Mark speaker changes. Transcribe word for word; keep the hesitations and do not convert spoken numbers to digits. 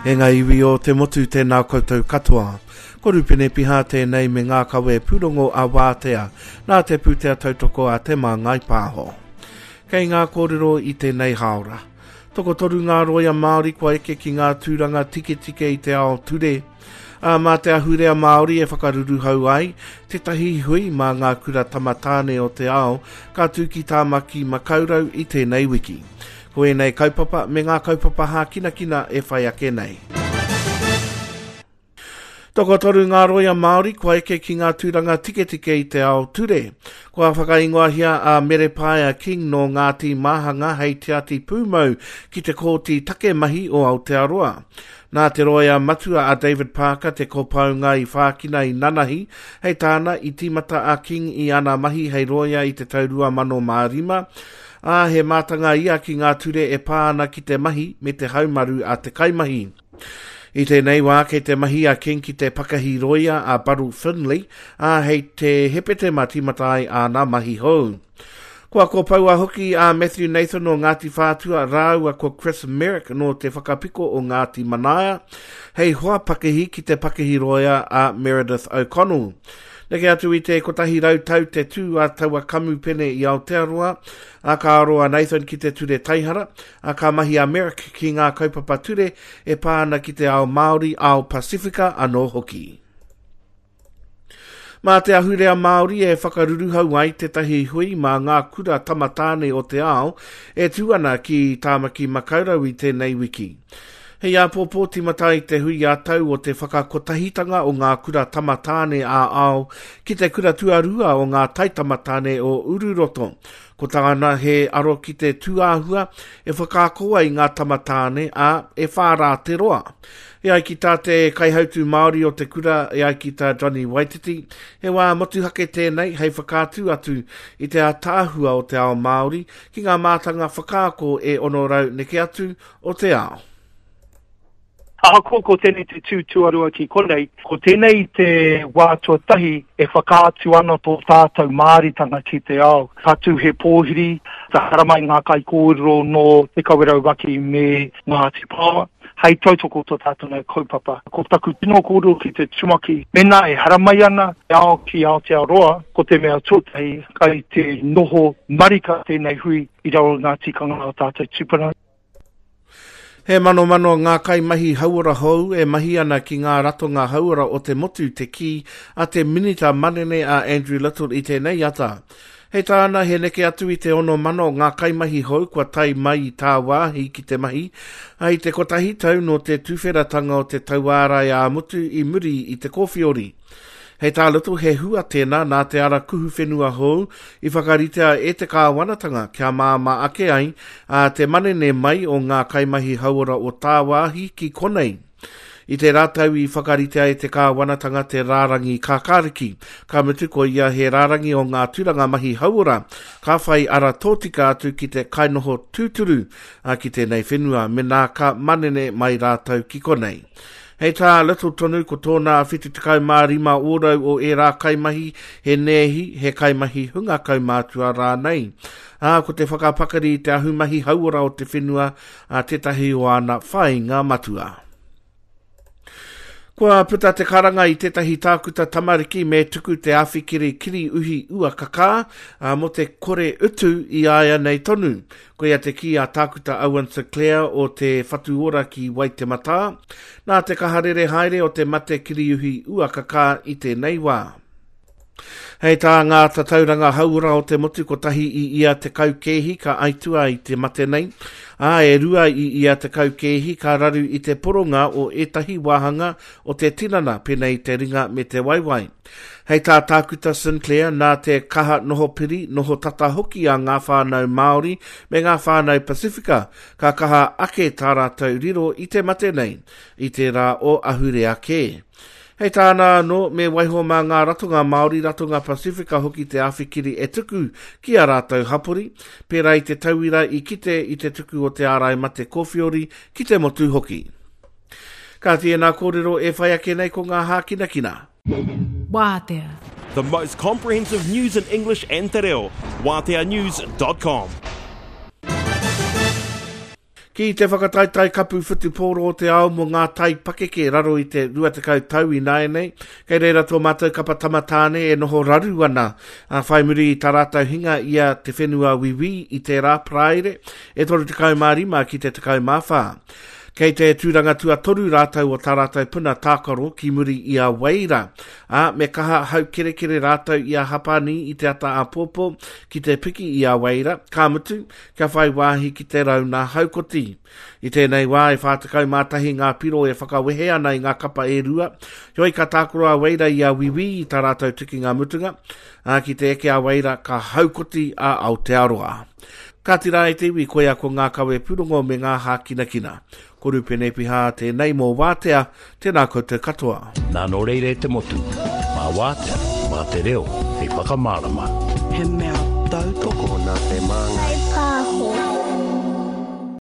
Speaker 1: E ngā iwi o te motu tēnā koutou katoa. Ko Rupene Piha tēnei me ngā kawe pūrongo a Wātea, nā te pūtea tautoko a Te Māngai Pāho. Kei ngā kōrero i tēnei hāora. Tokotoru ngā roia Māori kua eke ki ngā tūranga tiketike i te ao ture. Ā, mā te ahurea Māori e whakaruruhau ai tētahi hui mā ngā kura tamatāne o te ao ka tū ki Tāmaki Makaurau i tēnei wiki. Ko ēnei kaupapa me ngā kaupapa hākinakina e whai ake nei. Tokotoru ngā roia Māori kua eke ki ngā tūranga tiketike i te ao ture. Kua whakaingoahia a Merepaia King nō Ngāti Māhanga hei tiati pūmau ki te Kōti Take Mahi o Aotearoa. Nā te roia matua a David Parker te kopaunga i whākina i nanahi, hei tāna i tīmata a King i ana mahi hei roia i te tau rua mano mā rima, ā, he mātanga ia ki ngā ture e pā ana ki te mahi me te haumaru a te kaimahi. I tēnei wā kei te mahi a King ki te pakahi roia a Buddle Finlay, ā, hei te Hepetema tīmata ai āna mahi hou. Kua kopoua hoki a Matthew Nathan o Ngāti Whātua rāua ko Chris Merrick nō te whakapiko o Ngāti Manaia hei hoa pakihi ki te pakihi roia a Meredith O'Connell. Neke atu i te kotahi rau tau te tū a taua kamupene i Aotearoa, ā, ka aro a Nathan ki te ture taihara, ā, ka mahi a Merrick ki ngā kaupapa ture e pā ana ki te ao Māori, ao Pasifika anō hoki. Mā te ahurea Māori e whakaruruhau ai tētahi hui mā ngā kura tamatāne o te ao e tū ana ki Tāmaki Makaurau i tēnei wiki. Hei āpōpō tīmata ai te hui ā-tau o te whakakotahitanga o ngā kura tamatāne ā-ao ki te kura tuarua o ngā taitamatāne o Ururoto. Ko tāna he aro ki te tūāhua e whakaako ai ngā tamatāne, ā, e whā rā te roa. E ai ki tā te kaihautū Māori o te kura, e ai ki tā Johnny Waititi, he wā motuhake tēnei hei whakaatu atu i te ātaahua o te ao Māori ki ngā mātanga whakaako e ono rau neke atu o te ao.
Speaker 2: Ahakoa ko tēnei te tū tuarua ki konei, ko tēnei te wā tuatahi e whakaatu ana tō tātou Māoritanga ki te ao. Ka tū he pōhiri, ka haramai ngā kaikōrero nō Te Kawerau Maki me Ngāti Paoa, hei tautoko tō tātou nei kaupapa. Ko taku tino kōrero ki te tumaki, mēnā e haramai ana te ao ki Aotearoa, ko te mea tuatahi kai te noho marika tēnei hui i raro i ngā tikanga o tātou tūpuna.
Speaker 1: He manomano ngā kaimahi hauora hou e mahi ana ki ngā ratonga hauora o te motu te kī a te Minita Manene a Andrew Little i tēnei ata. Hei tāna he neke atu i te ono mano ngā kaimahi hou kua tae mai i tāwāhi ki te mahi, ā, i te kotahi tau nō te tuwheratanga o te tauārai ā-motu i muri i te kōwhiori. Hei tā Little he hua tēnā nā te ara kuhu whenua hou i whakaritea e te kāwanatanga kia māmā ake ai a te manene mai o ngā kaimahi hauora o tāwāhi ki konei. I tērā tau i whakaritea e te kāwanatanga te rārangi kākāriki, ka mutu ko ia he rārangi o ngā tūranga mahi hauora ka whai ara tōtika atu ki te kainoho tūturu ki tēnei whenua menā ka manene mai rātou ki konei. Hei tā Little tonu ko tōna whitu tekau mā rima ōrau o ērā kaimahi he nēhi, he kaimahi hunga kaumātua rānei. Ā, ko te whakapakari i te ahumahi hauora o te whenua a tētahi o āna whāinga matua. Kua puta te karanga i tētahi tākuta tamariki me tuku te awhikiri kiri uhi ua kakā, ā, mō te kore utu i a ia nei tonu. Koia te kī a Tākuta Owen Sinclair o te Whatu Ora ki Waitematā, nā te kaha rere haere o te mate kiriuhi ua kakā i tēnei wā. Hei tā ngā tatauranga hauora o te motu kotahi i ia tekau kēhi ka aitua i te mate nei, ā, e rua i ia tekau kēhi ka raru i te poronga o ētahi wāhanga o te tinana pēnei i te ringa me te waewae. Hei tā Tākuta Sinclair, nā te kaha noho piri, noho tata hoki a ngā whānau Māori me ngā whānau Pasifika, ka kaha ake tā rātou riro i te mate nei, i tērā o ahurea kē. Hei tāna anō, me waiho mā ngā ratonga Māori, ratonga Pasifika hoki te awhikiri e tuku ki ā rātou hapori, pērā i te tauira i kite i te tuku o te ārai mate kōwhiori ki te motu hoki. Kāti ēnā kōrero e whai ake nei ko ngā hākinakina.
Speaker 3: Wātea.
Speaker 4: The most comprehensive news in English and te reo. Wātea news dot com.
Speaker 1: Ki te whakataetae kapu whutupōro o te ao mō ngā tai pakeke raro i te rua tekau tau ināianei, kei reira tō mātou kapa tamatāne e noho raru ana, a whai muri i tā rātou hinga i a Te Whenua Wiwī i tērā Paraire e toru tekau mā rima ki te tekau mā whā. Kei te tūranga tuatoru rātou o tā rātou puna tākaro ki muri i a Weira, ā, me kaha haukerekere rātou i a Hapani i te ata āpōpō ki te piki i a Weira, ka mutu, kia whai wāhi ki te rauna haukoti. I tēnei wā e whā tekau mā tahi ngā piro e whakawehe ana i ngā kapa e rua, heoi ka tākaro a Weira i a Wiwī i tā rātou tukinga mutunga, ā, ki te eke a Weira ka haukoti a Aotearoa. Kāti rā e te iwi, koia ko ngā kawe pūrongo me ngā hākinakina. Ko Rupene Pihā tēnei mō Wātea, tēnā koutou katoa.
Speaker 5: Nā nō reira e te motu, mā Wātea, mā te reo, hei whakamārama.
Speaker 6: He mea tautoko
Speaker 7: Nā te māngai.